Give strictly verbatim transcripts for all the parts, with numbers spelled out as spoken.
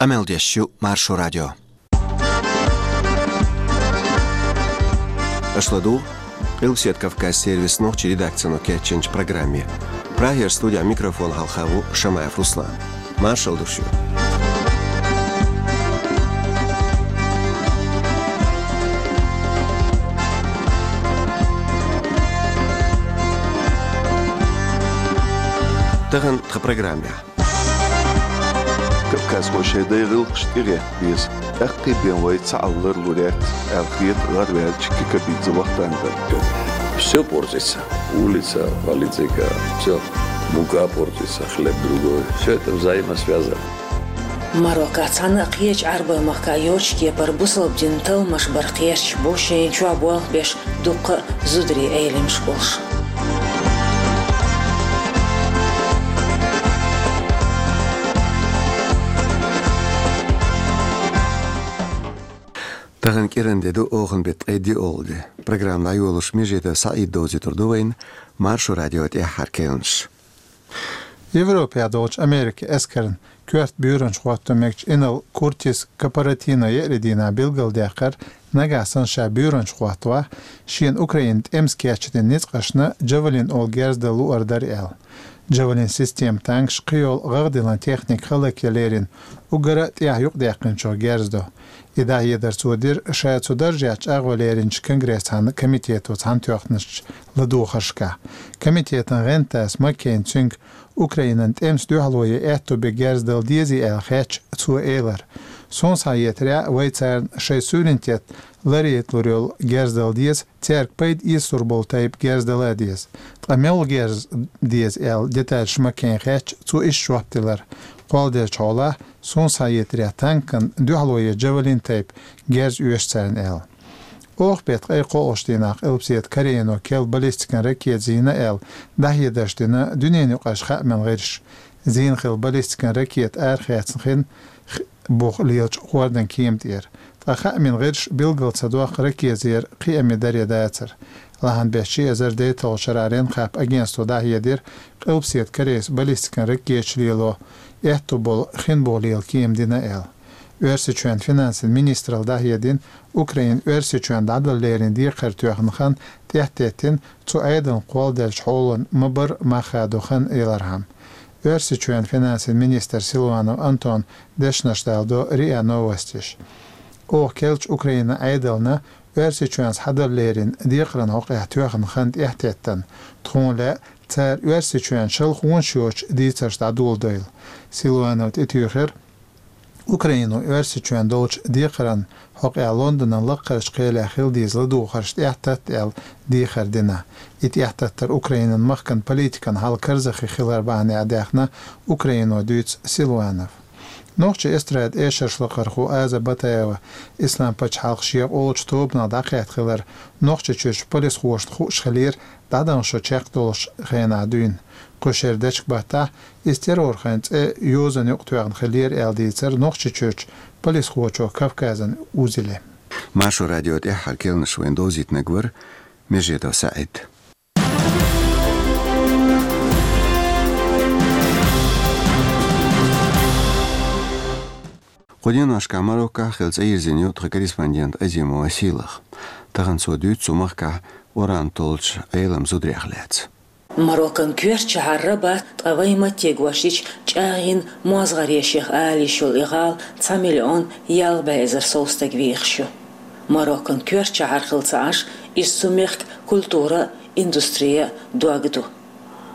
Къамел деш ю Маршо радио. Аша ладугӀу Къилбаседа Кавказ сервисан нохчийн редакцино кечйинчу программе. Прагера студехь микрофон хьалха ву Шамаев Руслан. Маршалла ду шуьга. Тахана тхан программехь. Кавказхо шайн дайн гӀиллакхаш тӀегӀетта беза. ТӀаккха бен вай цхьааллар лур яц, аьлла хета гӀарваьллачу Кикабидзе Вахтанга. Все портится. Улица, политика, все. Мука портится, хлеб другой. Все это взаимосвязано. Марокко цхьана а кхечу Ӏарбойн махка йоцчу кепара бусалба динан талламаш бар кхерчаш бу шайна чохь болх беш дуккха а зударийн Ӏеламаш болуш. Тахана кӀиран де ду, оханан беттан ткъе диъолгӀа де. Программа дӀайолош Межидов СаӀид довзуьйтур ду вайна Маршо радион тӀаьххьара керланаш. Европехь долчу Америкин эскарна коьрта буьйранча хӀотто мегачу инарла Куртис Капаратино еарин дийнахь билгалдаьккхира, нагахь санна ша буьйранча хӀоттавахь, шена Украинан тӀемас кечдина ницкъашна Джавелин олу герз дан луур дара аьлла. Джавелин система танкаш, кхийолу гӀагӀ диллина техника хӀаллакьян лерина уггар а тӀехь юкъадаьккхинчух герз до. И дӀахьедар цо дира ша цу даржехь чӀагӀо леринчу Конгрессан комитето цхьаьнатоьхначу ладугӀушкахь. Комитетан гӀентас Маккейн цуьнга Украинан тӀемас дуьхьало ян аьтто бен герз дала дезий аьлла хаьттича, цо элира: «Суна схьахетарехь, вай царна шайн суверенитет ларъяйталур йолу герз дала деза, цаьрга пайда эцалур болу тайпа герз дала а деза». «Ткъа мел герз деза?» аьлла детальш Маккейна хаьттича, цо иштта жоп делира: «Кхолладелчу хьолахь, суна схьахетарехь, танкана дуьхьало ян Джавелин тайпа герз оьшу царна», аьлла. Оха беттан ткъе кхоалгӀачу дийнахь Къилбаседа Корейно керла баллистикан ракета зийна аьлла дӀахьедарш дина дуьненаюкъарчу хаамийн гӀирсаша. Зийна хилла баллистикан ракета арахецна хин бух лелачу хӀордан кема тӀера. Ткъа хаамийн гӀирсаша билгал ца доккху, ракета зер кхиаме дара я дацара. Лахьанбеттан ши эзар дейтталгӀачу шарахь Ренхап агентство дӀахьедира, Къилбаседа Корейс баллистикан ракеташ лело аьтто болу хин бух лела кема дина аьлла. Оьрсийчоьнан финансийн министралла дӀахьедина, Украина Оьрсийчоьнна дӀадала леррина декхар тоьхна хан тӀаьхьатеттина, цу Ӏедална кхолладеллачу хьолана ма-барра мах хадо хан ялархьама. Оьрсийчоьнан финансийн министр Силуанов Антона дешнаш даладо РИА Новостиша. Оха керлачу Украинан Ӏедална Оьрсийчоьнца схьадала леррина декхаран хьокъехь тоьхна хан тӀаьхьатеттина, тхуна лаьа цара Оьрсийчоьнна шалхонаш йоцуш дийцарш дӀадоладойла. Силуанова тӀетуьйхира, Украино Оьрсийчоьнна долчу декхаран хьокъехь Лондонан лаккхарчу кхелехь хила деза ладугӀушхьарш тӀаьхьататта аьлла дехар дина. И тӀаьхьататтар Украинан махкан политикан хьал карзахе хилар бахьанехь даьхна, Украино дуьйцу Силуанова. Нохчийн эстрадан эшаршлакхархо Аза Батаева Ислам-пачхьалкх шех олучу тобанах дӀакхетта хилар Нохчийчуьрчу полисхошна хууш хилира дӀадаханчу шо чекхдолучу хенахь дуьйна. Кху шеран дечкен баттахь иза террорхойн цӀе йозанна юкъатоьхна хилира аьлла дийцира Нохчийчуьрчу полисхочо Кавказан узеле. Маршо радион тӀаьххьара керланаш вайна довзийтинарг вара Межидов СаӀид. Кху деношкахь Мароккохь хилла цӀа йирзина ю тхан корреспондент Азимова Сийлаха. Тахана цо дуьйцу цу махкахь уран толлучу Ӏеламан зударех лаьцна. Мароккан коьртачу шахьар Рабат, ткъа вайн матте гочдича, чӀагӀйина мозгӀаре шех ала йиш йолу и гӀала цхьа миллион ялх бӀе эзар сов стаг вехаш ю. Мароккан коьртачу шахьар хилла ца Ӏаш, иза цу мехкан культура а, индустри а дог ду.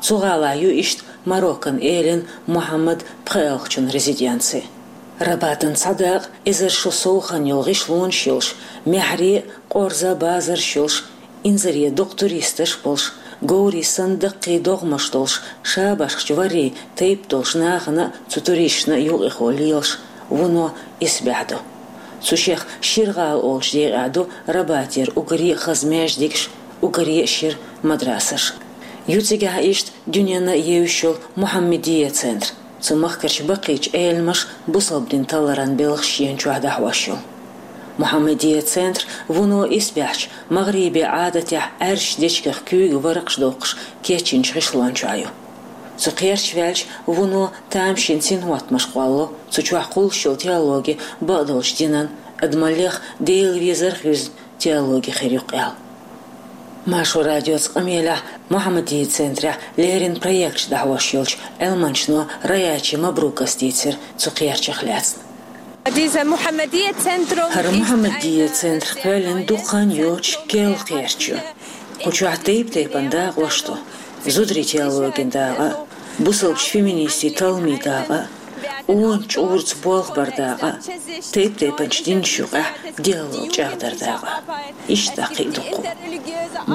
Цу гӀалахь ю иштта Мароккан элина Мухьаммад пхоьалгӀачун резиденци. Рабатан цхьа дакъа эзар шо сов хан йолу гӀишлонаш йолуш, маьхьарий а, къорза а базарш йолуш, инзаре дукха туристаш а болуш, говрийн санна даккхий догӀмаш долуш, шабашкахчу варрийн тайпа долуш нахана а, цу туристашна а юкъахо лелаш, вуно исбаьхьа ду. Цу шех шира гӀала олучу декъехь ду Рабатера уггаре а хаза маьждигаш, уггаре а шира мадрасаш. Ю цигахь иштта дуьненна а евзаш йолу Мухьаммадия центр. Цу махкарчу баккхийчу Ӏеламаша бусалба дин талларан белхаш шена чохь дӀахьош йолу. Мухьаммадия центр вуно исбаьхьча, магӀрибе Ӏадатехь Ӏаьржачу дечигах куьйга варакъаш доккхуш кечйинчу гӀишлон чохь ю. Цу кхерча ваьлча, вуно тамашийна синхӀоттамаш кхоллало, цу чохь кхуллуш йолу теологи бакъдолчу динан, адамаллех Делан везарх юьзна теологи хир ю-кх аьлла. Маршо радиоца къамелехь Мухьаммадия центрехь леррина проекташ дӀахьош йолчу Ӏилманчано Раячи Мабрукас дийцира цу кхерчах лаьцна. ХӀара Мухьаммадия центр кхоьллина дукха хан йоцуш керла кхерч ю. Кху чохь тайп-тайпана дакъош ду: зударийн теологин дакъа, бусалбачу феминистийн талламийн дакъа, къона чкъурца болх баран дакъа, тайп-тайпанчу динашна юкъахь диалог чӀагӀдаран дакъа. Иштта кхин а дуккха.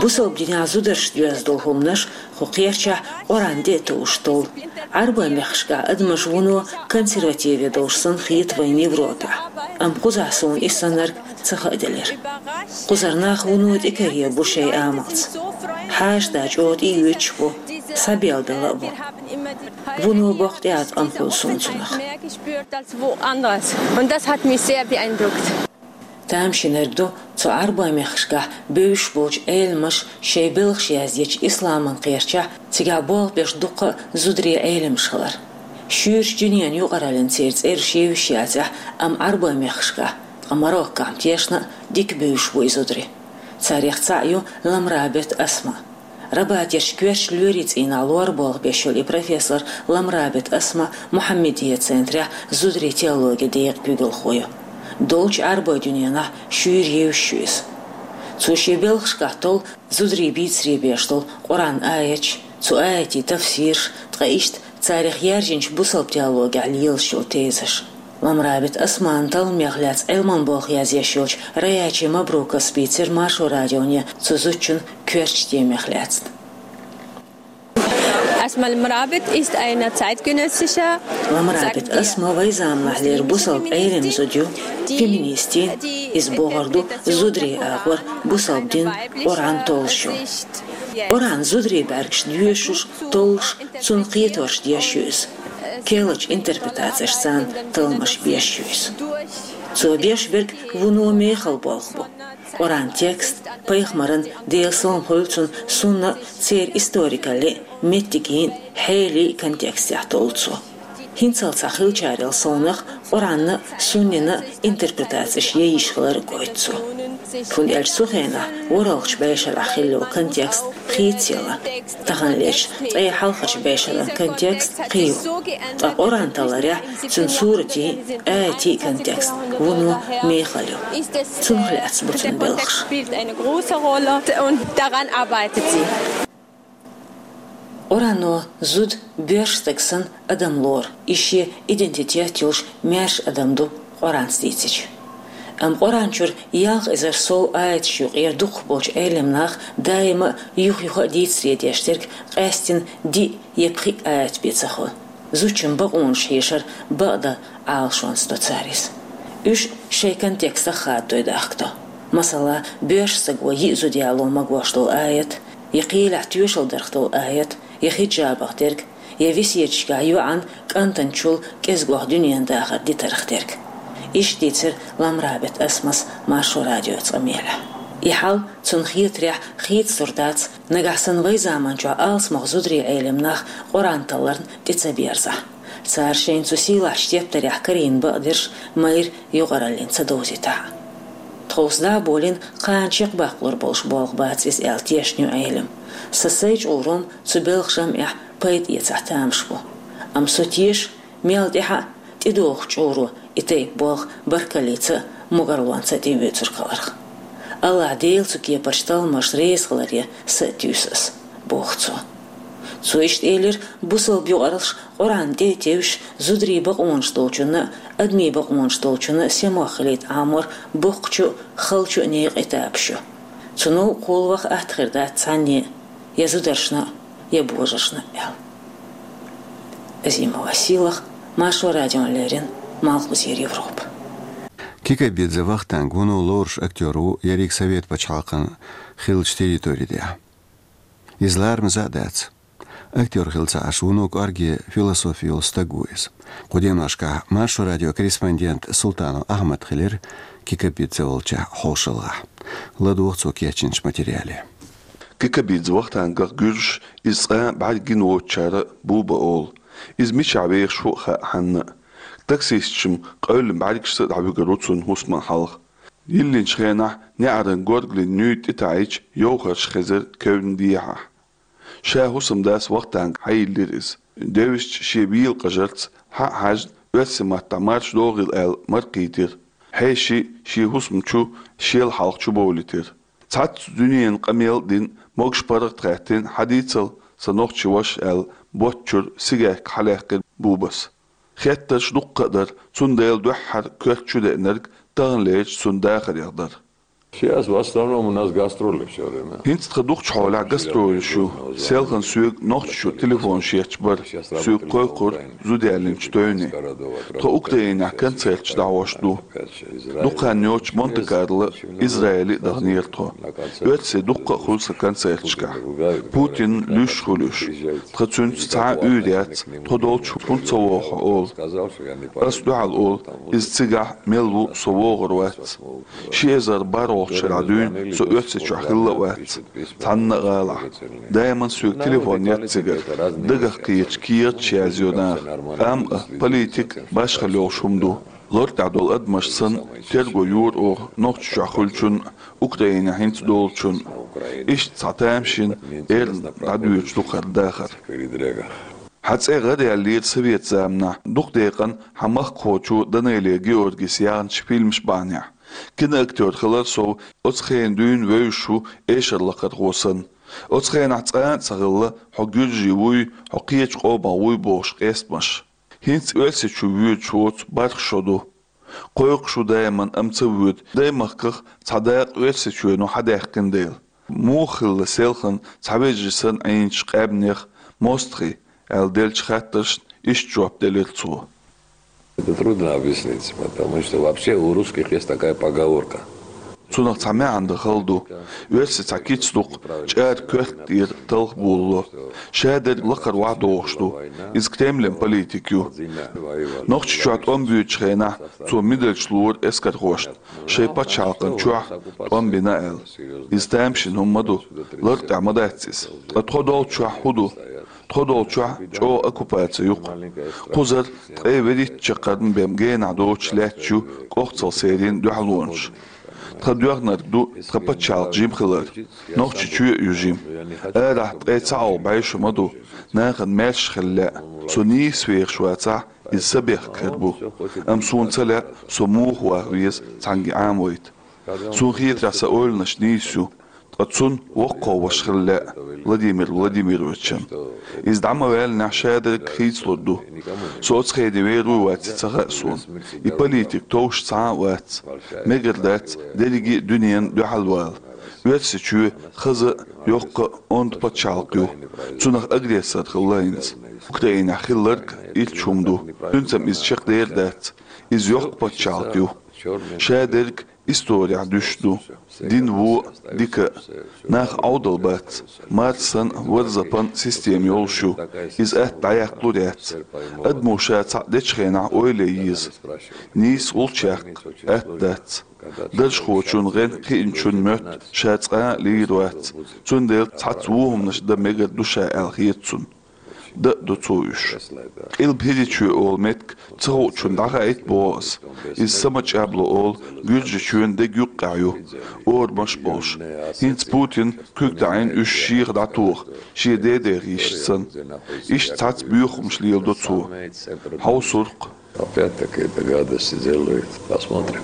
Бусалба динехь зударшна доьзна долу хӀуманаш кху кхерчахь Къуръан тӀе а товш толлу. Ӏарбойн мехкашкахь адамаш вуно консервативе долуш санна хета вайна Европехь. Амма кхузахь суна и саннарг ца хааделира. Кхузара нах вуно тӀекаре бу шайн амалца. Хьаша да чӀогӀа тӀеоьцуш бу, схьабелла бала а бу. Вуно боккха тӀеӀаткъам хуьлу суна цунах. Тамашийнарг ду цу Ӏарбойн мехкашкахь бевзаш болчу Ӏеламнаша шайн белхаш яздечу исламан кхерчахь цигахь болх беш дуккха а зударий Ӏеламнаш хилар. Шуьйрачу дуьненан юкъараллин церан цӀераш евзаш яцахь, амма Ӏарбойн мехкашкахь, ткъа Мароккохь-м тешна а дика бевзаш бу и зударий. Царех цхьаъ ю Ламрабит Асма. Рабатерчу коьртачу лоьрийн цӀийнахь лор болх беш йолу и профессор Ламрабит Асма Мухьаммадия центрехь зударийн теологин декъан куьйгалхо ю. Долчу Ӏарбойн дуьненахь шуьйра евзаш ю иза. Цо шен белхашкахь толлу зударийн бийцаре беш долу Къуръан аяташ, цу аятийн тафсираш, ткъа иштта царех яьржинчу бусалба теологехь лелаш йолу тезаш. Ламрабит Асман талламех лаьцна Ӏилман болх язъеш йолчу Раячи Мабрукас бийцира Маршо радионе цу зудчун коьртачу темех лаьцна. Ламрабит Асма вайн заманахьлера бусалба Ӏелам зуда ю, феминистийн, иза бохур ду зударийн агӀор бусалба дин, Къуръан толлуш ю. Къуръан зударийн бӀаьргашна доьшуш, толлуш, цунна кхеторш деш ю иза. Керлачу интерпретацешца царна талламаш беш ю иза. Цо беш берг вуно мехала болх бу. Къуръан текст, пайхамаран, Делан салам хуьлда цунна, сунна а, церан историкаллин а, меттигийн а, хьелин а контекстехь толлу цо. ХӀинццалц хьахилчарел совнаха Къуръанна а, суннина а интерпретацеш ян йиш хилар а гойту цо. ХӀунда аьлча цу хенахь ворхӀалгӀачу бӀешарахь хилла йолу контекст хийцаелла. Таханлерчу ткъе хьалхарчу бӀешеран контекст кхин ю. Ткъа Къуръан талларехь цуьнан суратийн, аятийн контекст вуно мехала ю. Цунах лаьцна бу цуьнан белхаш. Къуръано зуда боьрша стаг санна адам лору, иза шен идентитет йолуш маьрша адам ду Къуръанца дийцича. Амма Къуръан чуьра ялх эзар сов аяташ юкъера дукхах болчу Ӏелам наха даима а юха-юха а дийцаре деш дерг къаьстина диъ я пхиъ аят бен ца хуьлу. Зудчун бакъонаш хьешар бакъдан Ӏалашонца до цара иза. Уьш шайн контекстах хададой дахкадо. Масала, боьрша стага йиъ зуда яло магош долу аят, я кхелехь тоьшалла дарх долу аят, я хиджабах дерг, я весеташкахь йоӀан кӀантанчул кӀезгох дуьненан дахар дитарх дерг. Иштта дийцира Ламрабит Асмас Маршо радиоца къамелехь. И хьал цунна хетарехь хийцалур дац, нагахь санна вайн заманчохь алсамох зударий Ӏелам нах Къуръан талларна тӀе ца берзахь. Цара шайна цу сийлахьчу тептарехь карийна бакъдерш майра юкъараллин ца довзийтахь. Тховса дӀа а болийна, кхана чекхбаккхалур болуш болх бац иза аьлла тешна ю Ӏелам. Сан сайн чкъурам цу белхан жамӀехь пайда эцахь тамаш бу. Амма со теша, мел тӀаьхьа а тӀедогӀучу чкъуро и тайпа болх баркаллица а, могарлонца а тӀеоьцург хиларх. АллахӀ Дела цу кепарчу талламашна реза хиларе са а туьйсу ас, боху цо. Цо иштта элира, бусалба юкъараллаш Къуръан тӀе а тевжаш, зударий бакъонаш долчунна а, адамийн бакъонаш долчунна а сема хилийта Ӏамор боккхачу а, халчу а некъан этапаш ю. Цу новкъахула ваха атта хир дац цхьанне а, я зударшна а, я божаршна а аьлла. Азимова Сийлаха, Маршо радиона леррина, Малхбузера Европа. Кикабидзе Вахтанг вуно лоруш актёр ву ерриг Совет пачхьалкхан хиллачу территори тӀехь. Иза ларамаза а дац. Актёр хилла ца Ӏаш, вуно кӀорге философи йолу стаг ву иза. Кху деношкахь Маршо радион корреспондент Султанов Ахьмад хилира Кикабидзе волчохь хьошалгӀахь. ЛадогӀа цо кечйинчу материале. Кикабидзе Вахтангах гуьржаша, иза цкъа бӀаргагина воцучара Буба олу. Иза мичахь вехаш ву а хаьа хьанна а. Таксисташна къевлина бӀаьргашца а дӀавуьгур ву цунна хӀусаман хьалха. Йиллинчу хенахь неӀаран горгали нуьйда тӀетаӀийча, йовхарш хезира кевнна дехьахь. Ша хӀусамдас Вахтанга хьайиллира иза. Девзачу шен вийлакъажарца, хьа а хьаьжна, оьрсийн маттахь марша догӀийла аьлла, маркхийтира. Хьеший шен хӀусам чу шел хьалха чубовлийтира. Цхьацца дуьненан къамел а дина, могуш паргӀат хаьттина, хьадийцал, сан нохчи ваша аьлла, ботт чуьра сигарка хьалаьккхира Бубас. Хеттарш дуккха а дара, цундела дуьххьара коьрта чу деанарг таханлерчу цуьнан дахарех дара. Сейчас в основном у нас гастроли всё время. ХӀинца тхан дукхачу хьолехь гастролаш ю. Селхана соьга Нохчийчу телефонаш етташ бара. Соьга кхойкхура зуда яллинчу тевне. Тхо Украинехь концерташ дӀахьош ду. Дукха хан йоццуш Монте-Карло, Израиле а даханера тхо. Оьрсий дуккха а хуьлу сан концерташкахь. Путин луьйш хуьлу уьш. Тхан цуьнца цхьа а уьйр яц, тхо долчу хӀунда ца вогӀу хьо олу. Ас дуьхьал олу, иза цигахь мел ву, со вогӀур вац. Ши эзар бархӀолгӀачу шарахь дуьйна со Оьрсийчохь хилла а вац, цхьанна а гӀалахь. Даиман соьга телефон етта цигара, дагах кхеташ кехаташ язйо наха. Амма политика башхалла йолуш хӀума ду. Лар тӀехь долу адамаш санна, терго йора оха Нохчийчохь хуьлучунна, Украинехь хӀинца долчунна. Иштта цхьа тамашийна эрна дӀадоьдуш ду хӀара дахар. Хьан цӀе гӀараяьллера совет заманахь, дукха декъана хьан махкахочо Данелия Георгис яьхначу фильмаш бахьанехь. Киноактёр хилар сов оцу хенахь дуьйна вевзаш ву эшарлакхархо санна. Оцу хенахь цкъа а ца хилла, хьо гуьржи вуй, хьо кхечу къомах вуй бохуш къестамаш. ХӀинца Оьрсийчу воьдуш воцу бархӀ шо ду. Кхойкхуш ву даиман, амма ца воьду, даймахках цхьа дакъа Оьрсийчоьно хьадаьккхина дела. Муха хилла селхана цхьа вежарий санна Ӏийначу къаьмнех мостагӀий аьлла деллачу хаттаршна иштта жоп делира цо. Это трудно объяснить, потому что вообще у русских есть такая поговорка. Цунах цхьа маьӀна дан хала ду. Оьрсийн цхьа кица ду-кх, чӀара коьрта тӀера талха болало. Шадерг лакхара охьадогӀуш ду. Иза Кремлан политика ю. Нохчийчохь тӀом боьдучу хенахь цо медальш лора эскархошна, шайн пачхьалкхан чохь тӀом бина аьлла. Иза тамашийна хӀума ма ду, лар тӀехь ма дац иза. Ткъа тхо долчохь хӀун ду? Тхо долчохь чӀогӀа оккупаци ю-кх. Кхузара ткъе вуьрхӀитта чаккхарма бен генахь доцуш лаьтташ ю кӀохцал серийн дуьхьалонаш. Тхан доьхнарг ду тхан пачхьалкх жима хилар. Нохчийчоь а ю жима. Арахь ткъе цхьа агӀо бӀешо ма ду, нахана маьрша хила лаьа. Со нийса вехаш вацахь, иза сан бехк хир бу. Амма суна ца лаьа, со муха ваха веза цхьаьнгге Ӏамавайта. Суна хетарехь, сан ойланаш нийса ю, ткъа цунна воккхах ваша хила лаьа, Владимир Владимировичан. Иза дӀа ма ваьллинехь, шадерг хийцалур ду. Со оцу хене вер вуй, ваций ца хаьа суна. И политика товш цхьа а вац. Мегар дац дерриге а дуьненна дуьхьал вала. Оьрсийчоь хаза а, йоккха а онда пачхьалкх ю. Цунах агрессор хилла хӀинца. Украинехь хилларг итт шо ма ду. Цуьнца-м иза чекхдер дац. Иза йоккха пачхьалкх ю. Шадерг исторехь дуьсуш ду. Дин вон а, дика а. Нах Ӏовдал бац. Марсана, Варзапан система йолуш ю. Иза атта дӀаяккхалур яц. Адамо ша цхьаъ дечу хенахь ойла ян еза. Нийса гӀулч яккха атта дац. Даржхочун, гӀенна кхиъначун моьтту ша цкъа а лийр вац. Цундела цхьацца вон хӀуманаш дан мегар ду ша аьлла хета цунна. Дан а ду цо уьш. Къилба ХӀирийчоь олу меттиг ца хуучунна дӀахаийта боху ас. Иза Самачабло олу, Гуьржийчоьнан деган юккъехь ю, орамаш а болуш. ХӀинца Путина куьг таӀийна уьш шеха дӀатоха, шен дедех йиша санна. Иштта цхьацца боьхамаш леладо цо. Хьовсур-кх. Опять-таки это гадости делают. Посмотрим.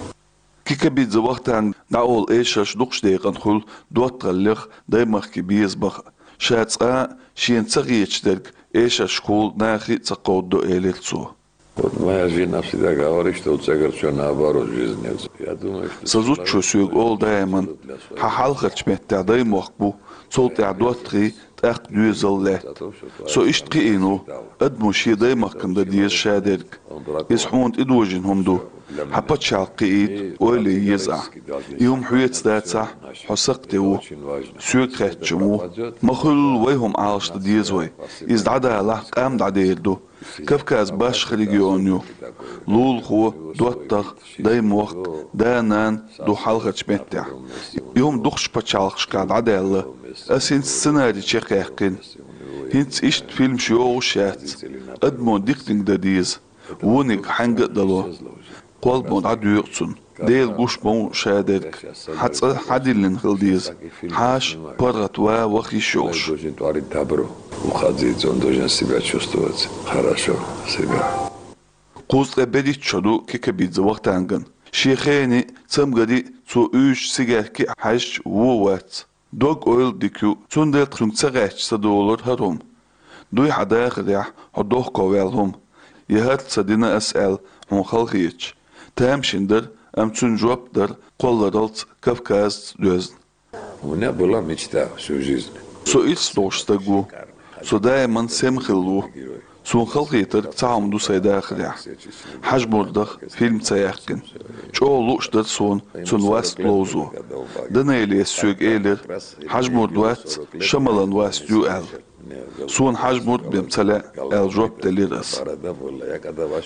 Кикабидзе Вахтанга дӀаолу эшарш дукхачу декъана хуьлу доттагӀаллех, даймахкан безамах а. Ша цкъа а шена ца хеташ дерг эшаршкахула нахе а ца кховдадо, элира цо. Вот моя жена всегда говорит, что у цигар всё наоборот в жизни. Я думаю, что... Сан зудчо соьга олу даиман: хьан хьалхарчу меттехь даймохк бу, цул тӀаьхьа доттагӀий, тӀаккха доьзал лаьтта. Со иштта кхиийна ву, адамо шен даймахкана дан деза шадерг. Иза хьуна тӀедожийна хӀума ду. Хьан пачхьалкх кхиийта ойла ян еза ахь. И хӀума хьоьца дацахь, хьо сакхте ву. Соьга хаьттича-м ву. Ма-хуьллу вай хӀума Ӏалашдан деза вай. Иза дӀадалахь, къам дӀадер ду. Кавказ башха регион ю. Лулахо, доттагӀа, даймохк, да-нана ду хьалхарчу меттехь. И хӀума дукхачу пачхьалкхашкахь дӀадаьлла. Ас хӀинца сценари чекхъяьккхина. ХӀинца иштта фильмаш йогӀуш яц. Адамо диканиг дан деза. Вониг хьаьнга а дало. Кхолламо дӀадоькъу цунна. Дела гуш ма ву шадерг. Хьан цӀа хьадиллина хила деза. Хьаша паргӀат ван ваха йиш йолуш. Должен творить добро. Уходить, он должен себя чувствовать хорошо, себя. Кхузткъе берхӀитта шо ду Кикабидзе Вахтанган. Шен хене а, цамгаре а цо уьйзучу сигарке а хьаьжча вон вац. Дог-ойла дика ю, цундела цуьнга ца гӀаьттича ца долура хӀара хӀума. Дуй хьан дахарехь хьо дохковаьлла хӀума. Я хӀара ца дина ас аьлла хьуна халахеташ. Тамашийна дара, амма цуьнан жоп дара кхолларалц, Кавказца доьзна. У меня была мечта всю жизнь. Со ирс долуш стаг ву. Со даиман сема хилла ву. Суна халахетарг цхьа хӀума ду сайн дахарехь. Хьажмурдах фильм ца яьккхина. ЧӀогӀа лууш дара суна цуьнан васт ловзо. Данелес соьга элира: «Хьажмурд вац, Шамалан васт ю», — аьлла. «Суна Хьажмурд бен ца лаьа», — аьлла жоп делира ас.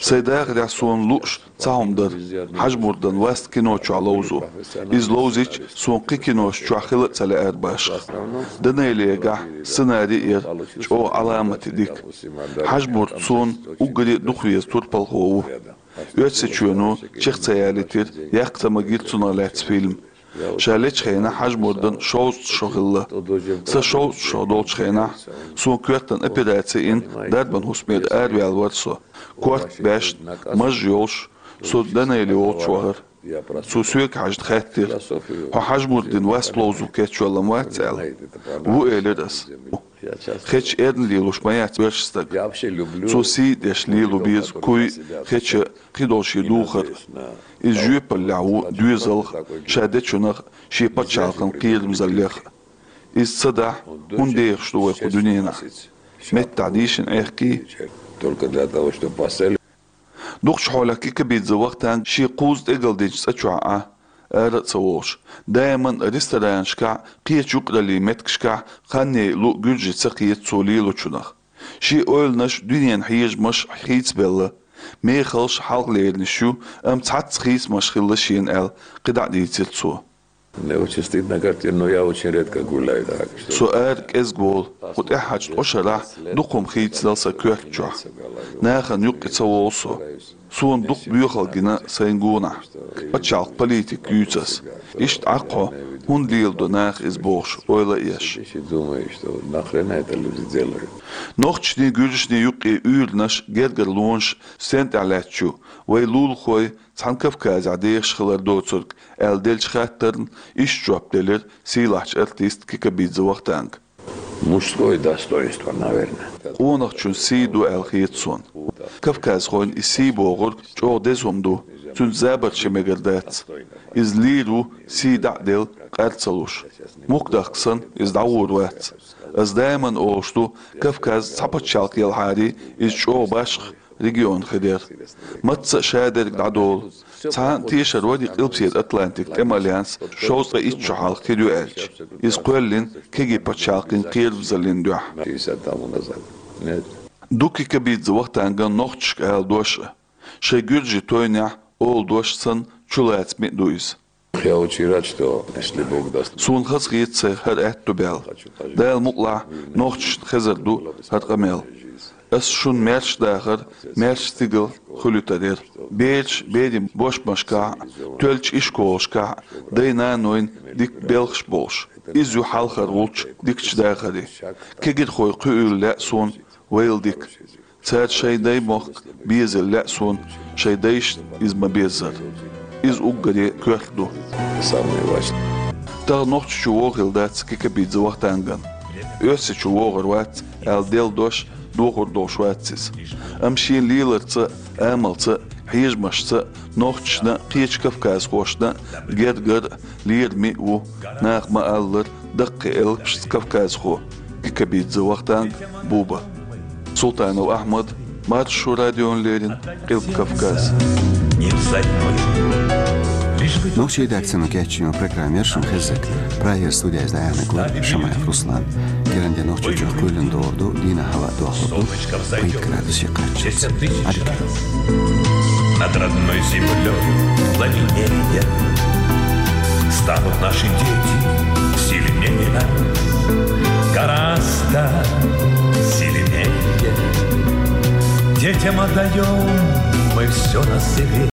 Сайн дахарехь суна лууш цхьа хӀума дара: Хьажмурдан васт кино чохь ловзо. Иза ловзийча, суна кхин кинош чохь хила а ца лаьара башха. Данелегахь сценари а яра чӀогӀа Ӏаламате дика. Хьажмурд суна уггаре а дукха веза турпалхо ву. Оьрсийчоьно чекх ца ялийтира, яккха ца магира цунах лаьцна фильм. Ша лечу хенахь Хьажмурдан шовзткъа шо хилла. Сан шовзткъа шо долчу хенахь, суна коьртана операци йина, дарбан хӀусамера араваьлла вара со. Корта баьшна, маж йолуш, со Данели волчу вахара. Цо соьга хьаьжна хаьттира: «Хьо Хьажмурдин васт ловзо кечвелла ма вац?» — аьлла. «Ву», — элира ас. Хеча эрна лелош ма яц вешан стаг. Цо сий деш лело беза куй, хеча, кхидолу шен духар. Иза жоьпаллехь ву доьзалх, ша дечунах, шен пачхьалкхан кхерамзаллех. Иза ца дахь, хӀунда дехаш ду вай кху дуьненахь? Меттахь дийшина Ӏехкий? Только для того, чтобы поставили. Дукхачу хьолехь Кикабидзе Вахтанг шен кхузза тӀегалдинчу цӀа чохь Ӏа, ара а ца волуш, даиман ресторанашкахь, кхечу юкъараллин меттигашкахь хан яйа луъ гуьржий ца кхета цо лелочунах. Шен ойланаш дуьненан хьежамаш хийцабелла. Мехаллаш хьалхалеринаш ю, амма цхьацца хийцамаш хилла шена аьлла, кхидӀа а дийцира цо. Мне очень стыдно, как тебе, но я очень редко гуляю, так что... Со ара кӀезга волу, кху тӀаьххьарчу ткъа шарахь дукха хӀума хийцинал сан коьрта чохь. Нахана юккъе ца волу со. Суна дукха боьхалла гина сайн гонахь. Пачхьалкх политика юьйцу ас. Иштта Ӏа кхо, хӀунда леладо наха иза бохуш, ойла а еш. Сидишь и думаешь, что нахрена это люди делают? Нохчашний, гуьржашний юккъе уьйранаш, гергарлонаш стен тӀехь лаьтташ ю? Вай лулахой цхьана Кавказехь дехаш хилар доцург, аьлла деллачу хаттарна иштта жоп делира сийлахьчу артиста Кикабидзе Вахтанга. Мужское достоинство, наверное. Къонахчун сий ду аьлла хета суна. Кавказхойн и сий бохург чӀогӀа деза хӀума ду, цуьнца забарш ян мегар дац. Иза лийр ву, сий дӀа а делла, къар ца луш. Мухкадахка санна, иза дӀагӀур вац. Ас даиман олуш ду, Кавказ цхьа пачхьалкх елхьарий, иза чӀогӀа башха регион хир яра. Мацца а шадерг дӀадолу. Цхьана а тешар вари Къилбаседа Атлантик тӀеман альянс шовзткъе итт шо хьалха хир ю аьлча. Иза кхоьллина кегий пачхьалкхийн кхерамзаллин дуьхьа. Ду Кикабидзе Вахтанган нохчашка ала дош а. Шайн гуьржийн тойнехь олу дош санна чулацаме а ду иза. Я очень рад, что, если Бог даст. Суна хазахета сайн хӀара аьтто баьлла. Дала мукъалахь, нохчашна хезар ду хӀара къамел. Ас шуна маьрша дахар, маьрша стигал хуьлуьйтар яра. Бераш берийн бошмашкахь а, тоьллачу ишколашкахь а дай-нанойн дика белхаш болуш. Иза ю хьалхара волчу дикачу дахаран. Кегирхой кхуьийла лаьа суна вайл дика. Цара шайн даймохк безийла лаьа суна, шайн дайшна иза ма-беззара. Иза уггаре коьрта ду. Самое важное. Тахана Нохчийчу вогӀийла дац Кикабидзе Вахтанган. Оьрсийчу вогӀур вац аьлла делла дош дохур долуш вац иза. Амма шен леларца а, амалца а, хьежамашца а нохчашна а, кхечу кавказхошна а гергара а, лераме а ву, наха ма-аллара, даккхий элпашца кавказхо Кикабидзе Вахтанг Буба. Султанов Ахьмад, Маршо радиона леррина, Къилба Кавказ. Не взойдёт. Нохчийн редакцино кечйина программа яр шун хеззиг. Прагера студиязь дӀаяхьнарг вар Шамаев Руслан. Геран де нохчочох кхойлан догӀар ду, дийнахьа хӀаваъ дохлур ду пхийтта градусе кхаччалца. Ӏадика. Над родной землёй пламенея станут наши дети сильнее нас. Гораздо сильнее. Детям отдаём мы всё на себе.